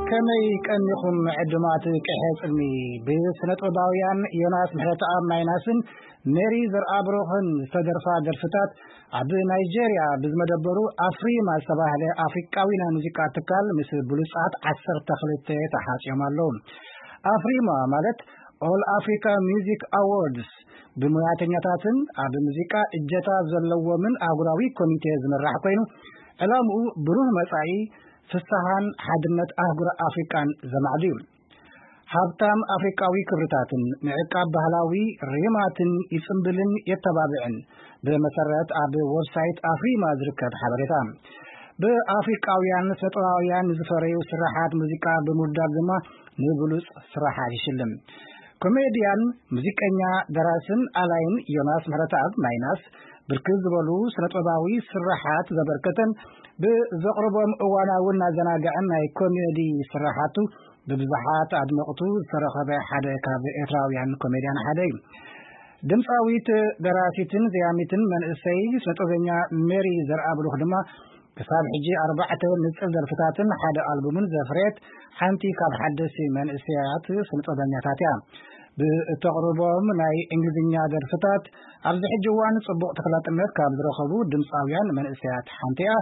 ከመይ ቀኒኹም ዕዱማት ቅሐ ጽልሚ? ብስነ ጥበባውያን ዮናስ ምሕረተኣብ ማይናስን ሜሪ ዘርኣብሩኽን ዝተደርፋ ደርፍታት ኣብ ናይጄርያ ብዝመደበሩ ኣፍሪማ ዝተባህለ ኣፍሪቃዊ ናይ ሙዚቃ ትካል ምስ ብሉጻት ዓሰርተ ክልተ ተሓጽዮም ኣለዉ። ኣፍሪማ ማለት ኦል ኣፍሪካ ሚዚክ ኣዋርድስ ብሙያተኛታትን ኣብ ሙዚቃ እጀታ ዘለዎምን ኣህጉራዊ ኮሚቴ ዝምራሕ ኮይኑ፣ ዕላምኡ ብሩህ መጻኢ፣ ፍስሃን ሓድነት ኣህጉር ኣፍሪቃን ዘማዕዱ እዩ። ሃብታም ኣፍሪቃዊ ክብርታትን ምዕቃብ ባህላዊ ሪማትን ይጽምብልን የተባብዕን። ብመሰረት ኣብ ወብሳይት ኣፍሪማ ዝርከብ ሓበሬታ፣ ብኣፍሪቃውያን ስነጥበባውያን ዝፈረዩ ስራሓት ሙዚቃ ብምውዳድ ድማ ንብሉጽ ስራሓት ይሽልም። ኮሜድያን ሙዚቀኛ ደራስን ኣላይን ዮናስ ምሕረተኣብ ማይናስ ብርክት ዝበሉ ስነጥበባዊ ስራሓት ዘበርከተን ብዘቕርቦም እዋናውን ኣዘናግዕን ናይ ኮሜዲ ስራሓቱ ብብዙሓት ኣድመቕቱ ዝተረኸበ ሓደ ካብ ኤርትራውያን ኮሜድያን ሓደ እዩ። ድምፃዊት፣ ደራሲትን ዘያሚትን መንእሰይ ስነጥበበኛ ሜሪ ዘርኣብሩኽ ድማ ክሳብ ሕጂ ኣርባዕተ ንጽል ደርፍታትን ሓደ ኣልቡምን ዘፍረየት ሓንቲ ካብ ሓደስቲ መንእሰያት ስነጥበበኛታት እያ። ብእተቕርቦም ናይ እንግሊዝኛ ደርፍታት ኣብዚ ሕጂ እዋን ጽቡቕ ተፈላጥነት ካብ ዝረኸቡ ድምፃውያን መንእሰያት ሓንቲ እያ።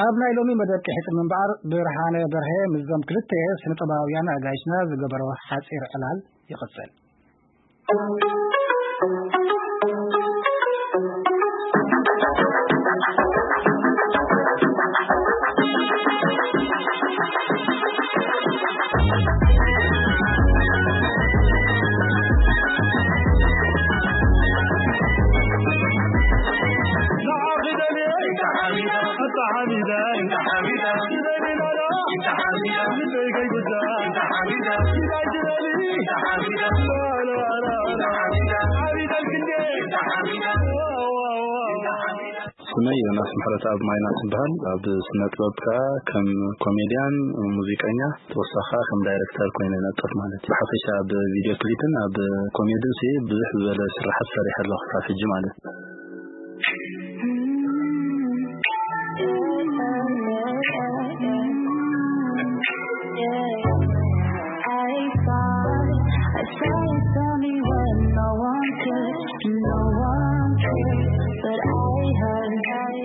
ኣብ ናይ ሎሚ መደብ ቅሕጽ ምንባር ብርሃነ በርሀ ምስዞም ክልተ ስነጥበባውያን ኣጋይሽና ዝገበሮ ሓጺር ዕላል ይቕጽል። ስመይ ዮናስ ምሕረተኣብ ማይናስ ይበሃል። ኣብ ስነ ጥበብ ከኣ ከም ኮሜድያን ሙዚቀኛ፣ ተወሳኺ ከኣ ከም ዳይረክተር ኮይነ ይነጥፍ ማለት እዩ። ብሓፈሻ ኣብ ቪድዮ ክሊፕን ኣብ ኮሜድን ሲ ብዙሕ ዝበለ ስራሓት ሰሪሐ ኣለኹ ክሳብ ሕጂ ማለት እዩ። I thought I saw you tell me when no one could, no one could, but I heard, I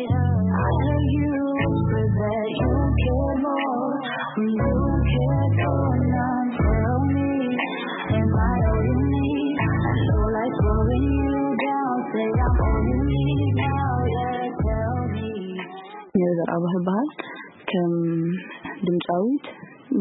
heard you whisper that you care more when you care for none. Tell me, am I all you need? I know life's slowing you down. Say I'm all you need now, yeah, tell me. ሜሪ ዘርኣብሩኽ ይበሃል። ከም ድምፃዊት፣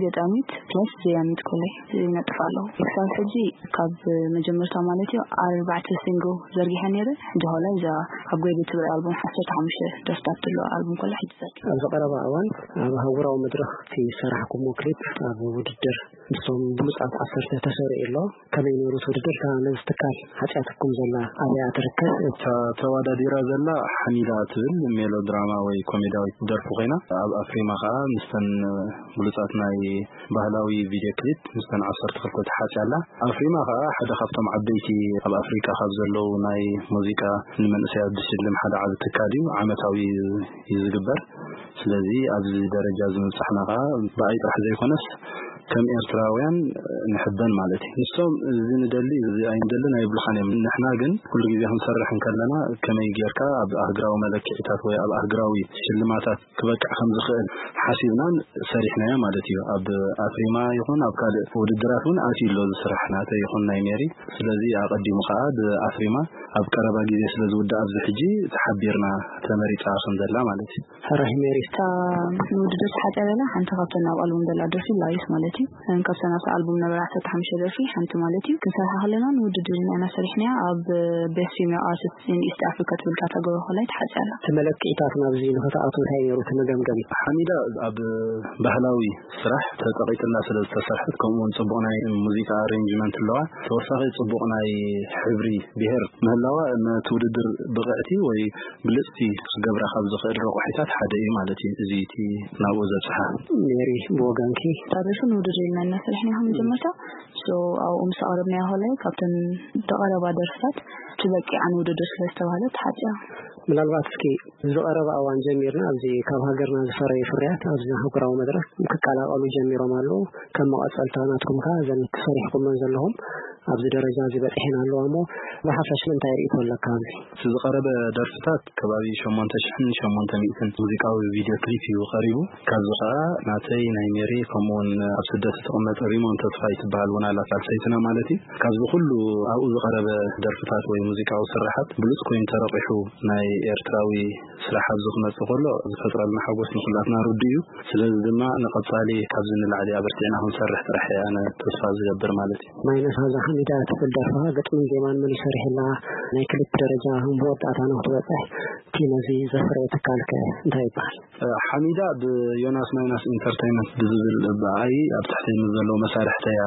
ገጣሚት፣ ፕለስ ዘያሚት ኮለይ ይነጥፍ ኣለኹ። ክሳብ ሕጂ ካብ መጀመርታ ማለት እዩ ኣርባዕተ ሲንግል ዘርጊሐ ነይረ። ሕጂ ኸላይ እዛ ኣብ ጎይደ ትብል ኣልቡም ዓሰርተ ሓሙሽተ ደርፍታት ዘለዎ ኣልቡም ኮለይ ሕጂ ዘርጊሐ። ኣብዚ ቀረባ እዋን ኣብ ኣህጉራዊ መድረኽ እቲ ዝሰራሕኩሞ ክሊፕ ኣብ ውድድር ምስቶም ብሉጻት ዓሰርተ ተሰሪዑ ኣሎ። ከመይ ነይሩ እቲ ውድድር? ነዚ ትካል ሓጺኣትኩም ዘላ ኣበይ እያ ትርከብ? እታ ተወዳዲራ ዘላ ሓሚዳ ትብል ሜሎድራማ ወይ ኮሜድያዊት ደርፊ ኮይና፣ ኣብ ኣፍሪማ ከኣ ምስተን ብሉጻት ናይ ባህላዊ ቪድዮ ክሊፕ ምስተን ዓሰርተ ክልተ ተሓጽያ ኣላ። ኣፍሪማ ከኣ ሓደ ካብቶም ዓበይቲ ኣብ ኣፍሪቃ ካብ ዘለዉ ናይ ሙዚቃ ንመንእሰያት ዝሽልም ሓደ ዓቢ ትካል እዩ። ዓመታዊ እዩ ዝግበር። ስለዚ ኣብዚ ደረጃ እዚ ምብጻሕና ከኣ ብኣይ ጥራሕ ዘይኮነስ ከም ኤርትራውያን ንሕበን ማለት እዩ። ንሶም እዚ ንደሊ፣ እዚ ኣይንደልን ኣይብሉኻን እዮም። ንሕና ግን ኩሉ ግዜ ክንሰርሕ እንከለና ከመይ ጌርካ ኣብ ኣህግራዊ መለክዒታት ወይ ኣብ ኣህግራዊ ሽልማታት ክበቅዕ ከም ዝኽእል ሓሲብናን ሰሪሕናዮ ማለት እዩ። ኣብ ኣፍሪማ ይኹን ኣብ ካልእ ውድድራት እውን ኣትዩ ኣሎ እዚ ስራሕ ናተይ ይኹን ናይ ሜሪ። ስለዚ ኣቐዲሙ ከኣ ብኣፍሪማ ኣብ ቀረባ ግዜ ስለ ዝውዳእ ኣብዚ ሕጂ ተሓቢርና ተመሪጻ ከም ዘላ ማለት እዩ። ሕራይ ሜሪ። እታ ንውድድር ተሓጽያ ዘላ ሓንቲ ካብተን ኣብ ኣልቡም ዘላ ደርፊ ላይፍ ማለት እዩ። እን ካብተን ኣብቲ ኣልቡም ነበራ ዓሰርተ ሓሙሽተ ደርፊ ሓንቲ ማለት እዩ። ክንሰርሓ ከለና ንውድድር ኢና ኢና ሰሪሕናያ። ኣብ ቤስት ፊሜል ኣርቲስት ኢን ኢስት ኣፍሪካ ትብል ካተጎሪ ኮላይ ተሓጽያ ኣላ። እቲ መለክዒታት ናብዚ ንኽትኣቱ እንታይ ነይሩ እቲ መገምገሚ? ሓሚዳ ኣብ ባህላዊ ስራሕ ተጸቒጥላ ስለ ዝተሰርሐት፣ ከምኡ እውን ጽቡቕ ናይ ሙዚቃ ኣሬንጅመንት ኣለዋ። ተወሳኺ ጽቡቕ ናይ ሕብሪ ብሄር ምህላዋ ነቲ ውድድር ብቕዕቲ ወይ ብልጽቲ ክገብራ ካብ ዝኽእል ረቑሒታት ሓደ እዩ ማለት እዩ። እዚ እቲ ናብኡ ዘብጽሓ። ሜሪ፣ ብወገንኪ? ታሪኽን ውድድር ኢልና እናሰርሕና ኢና መጀመርታ። ሶ፣ ኣብኡ ምስ ኣቕረብናዮ ከላይ ካብተን ዝቐረባ ደርፍታት ትበቂዓ ንውድድር ስለ ዝተባህለት ተሓጽያ። ምናልባት እስኪ ዝቐረበ እዋን ጀሚርና ኣብዚ ካብ ሃገርና ዝፈረዩ ፍርያት ኣብዚ ኣህጉራዊ መድረኽ ክቀላቐሉ ጀሚሮም ኣለዉ። ከም መቐጸልታ ናትኩም ከኣ እዘን ሰሪሕኩመን ዘለኹም ኣብዚ ደረጃ እዚ በጺሐን ኣለዋ እሞ ብሓፈሽ እንታይ ርእይቶ ኣለካ ኣብዚ? እቲ ዝቐረበ ደርፍታት ከባቢ ሸሞንተ ሽሕን ሸሞንተ ሚእትን ሙዚቃዊ ቪድዮ ክሊፕ እዩ ቀሪቡ። ካብዚ ከኣ ናተይ፣ ናይ ሜሪ፣ ከምኡውን ኣብ ስደት እትቕመጥ ሪሞን ተስፋይ ትበሃል እውን ኣላ፣ ሳልሰይትና ማለት እዩ። ካብዚ ኩሉ ኣብኡ ዝቐረበ ደርፍታት ወይ ሙዚቃዊ ስርሓት ብሉጽ ኮይኑ ተረቂሑ ናይ ኤርትራዊ ስራሕ ኣብዚ ክመጽእ ከሎ ዝፈጥረልና ሓጎስ ንኩላትና ርዱእ እዩ። ስለዚ ድማ ንቐጻሊ ካብዚ ንላዕሊ ኣበርቲዕና ክንሰርሕ ጥራሕ እየ ኣነ ተስፋ ዝገብር ማለት እዩ። ማይነስ ኣዛ ሓሚዳ ትብል ደርፍኻ ግጥምን ዜማን መን ይሰርሕላ? ናይ ክሊፕ ደረጃ መወዳእታ ንክትበጽሕ እቲ ነዚ ዘፍረየ ትካልከ እንታይ ይበሃል? ሓሚዳ ብዮናስ ማይናስ ኢንተርቴይንመንት ብዝብል ብኣይ ኣብ ትሕቲ ምስ ዘለዉ መሳርሕተያ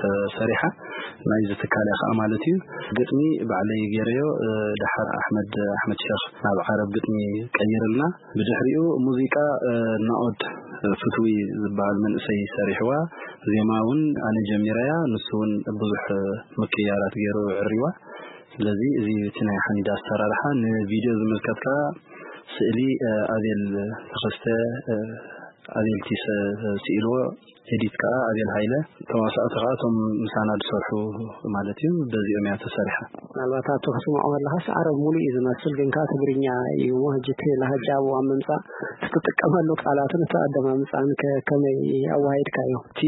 ተሰሪሓ። ናይዚ ትካል እያ ከዓ ማለት እዩ። ግጥሚ ባዕለይ ገይረዮ፣ እ፣ ደሓር ኣሕመድ፣ ኣሕመድ ሸኽ ናብ ዓረብ ግጥሚ ቀይርልና። ብድሕሪኡ ሙዚቃ፣ እ፣ ናኦድ ፍትዊ ዝበሃል መንእሰይ ሰሪሕዋ። ዜማ እውን ኣነ ጀሚረያ፣ ንሱ እውን ብዙሕ ምቅያራት ገይሩ ዕሪዋ። ስለዚ እዚ እቲ ናይ ሓሚዳ ኣሰራርሓ። ንቪድዮ ዝምልከት ከዓ ስእሊ፣ እ፣ ኣቤል ተኸስተ፣ እ፣ ኣቤል ቲሰ ስኢልዎ፣ ኤዲት ከዓ ኣቤል ሃይለ፣ ተዋሳእቲ ከዓ እቶም ምሳና ዝሰርሑ ማለት እዩ። በዚኦም እያ ተሰሪሓ። ምናልባት ኣብቲ ክትስምዖ ከለኻስ ዓረብ ሙሉእ እዩ ዝመስል፣ ግን ከዓ ትግርኛ እዩ እሞ፣ ሕጂ እቲ ላህጃ ኣብኡ ኣብ ምምፃእ፣ እቲ ትጥቀመሉ ቃላትን እቲ ኣደማምፃን ከ ከመይ ኣወሃሂድካዮ? እቲ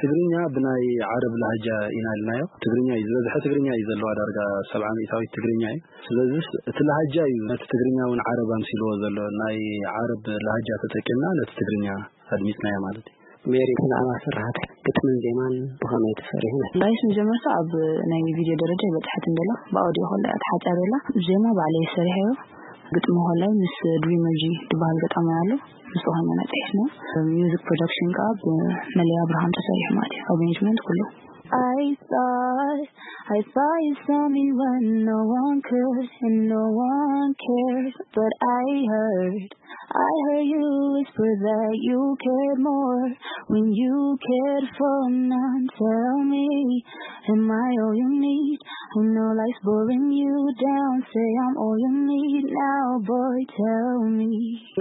ትግርኛ ብናይ ዓረብ ላህጃ ኢና ኢልናዮ። ትግርኛ እዩ ዝበዝሐ፣ ትግርኛ እዩ ዘለዋ፣ ዳርጋ ሰብዓ ሚእታዊት ትግርኛ እዩ። ስለዚስ እቲ ላህጃ እዩ ነቲ ትግርኛ እውን ዓረብ ኣምሲልዎ ዘሎ። ናይ ዓረብ ላህጃ ተጠቂምና ነቲ ትግርኛ ኣድሚፅናዮ ማለት እዩ። ሜሪ፣ ብዛዕባ ስርሓት ግጥምን ዜማን ብኸመይ ተሰሪሑ? ላይስ መጀመርታ ኣብ ናይ ቪድዮ ደረጃ ይበጽሐት እንደላ፣ ብኣውዲዮ ከላ እያ ተሓጻሪ ኣላ። ዜማ ባዕለይ ሰሪሐዮ፣ ግጥሚ ከላይ ምስ ድሪመር ጂ ዝበሃል ገጣማይ ኣሎ፣ ምስ ዝኾነ መጽሔት ነው። ሚውዚክ ፕሮዳክሽን ከዓ ብመለያ ብርሃን ተሰሪሑ ማለት እዩ። ኣሬንጅመንት ኩሉ። I thought, I thought you saw me when no one could and no one cared, but I heard, I heard you whisper that you cared more when you cared for none. Tell me, am I all you need? I know life's boring you down. Say I'm all you need now, boy, tell me.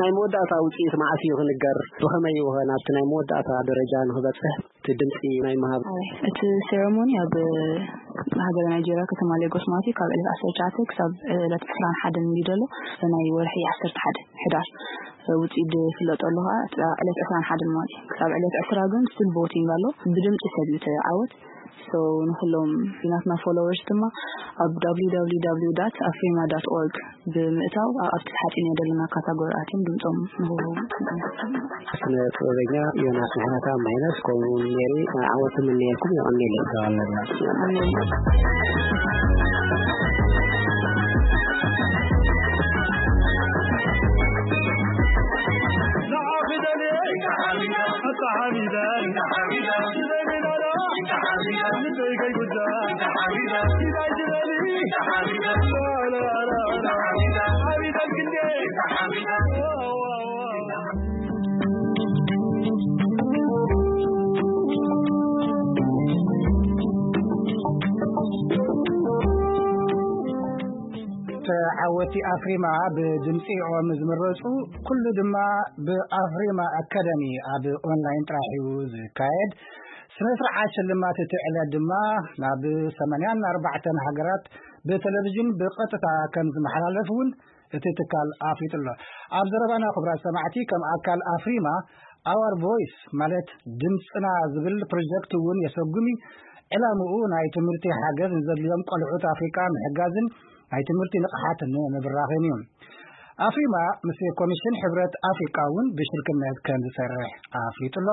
ናይ መወዳእታ ውፅኢት መዓስ እዩ ክንገር? ብኸመይ እዩ ኸ ናብቲ ናይ መወዳእታ ደረጃ ንኽበፅሕ እቲ ድምፂ ናይ ምሃብ? ኣይ፣ እቲ ሴረሞኒ ኣብ ሃገረ ናይጄርያ ከተማ ሌጎስ ማለት እዩ፣ ካብ ዕለት ዓሰርተ ትሽዓተ ክሳብ ዕለት ዕስራን ሓደን እንዲ ዘሎ ናይ ወርሒ ዓሰርተ ሓደ ሕዳር ውፅኢት ዝፍለጠሉ ከዓ እቲ ዕለት ዕስራን ሓደን ማለት እዩ። ክሳብ ዕለት ዕስራ ግን ስቲል ቮቲንግ ኣሎ። ብድምፂ ሰብ እዩ ተዓወት። So ንኩሎም ናትና ፎሎወርስ ድማ ኣብ www.afrima.org ብምእታው ኣብቲ ሓፂን ዘለና ካታጎሪ ኣትዮም ድምፆም ንክህቡ። ስነ ጥበበኛ ዮናስ ምሕረተኣብ ማይነስ ከምኡ እውን ሜሪ ዓወት እምነየልኩም። የቐንየለይ። ተዓወቲ ኣፍሪማ ብድምፂኦም ዝምረፁ ኩሉ ድማ ብኣፍሪማ ኣካዳሚ ኣብ ኦንላይን ጥራሕ እዩ ዝካየድ። ስነ ስርዓት ሽልማት እቲ ዕለት ድማ ናብ ሰማንያን ኣርባዕተን ሃገራት ብቴሌቪዥን ብቐጥታ ከም ዝመሓላለፍ እውን እቲ ትካል ኣፍሊጡ ኣሎ። ኣብ ዘረባና ክቡራት ሰማዕቲ፣ ከም ኣካል ኣፍሪማ ኣዋር ቮይስ ማለት ድምፅና ዝብል ፕሮጀክት እውን የሰጉም እዩ። ዕላምኡ ናይ ትምህርቲ ሓገዝ ንዘድልዮም ቆልዑት ኣፍሪቃ ምሕጋዝን ናይ ትምህርቲ ንቕሓት ንምብራኽን እዩ። ኣፍሪማ ምስ ኮሚሽን ሕብረት ኣፍሪቃ እውን ብሽርክነት ከም ዝሰርሕ ኣፍሊጡ ኣሎ።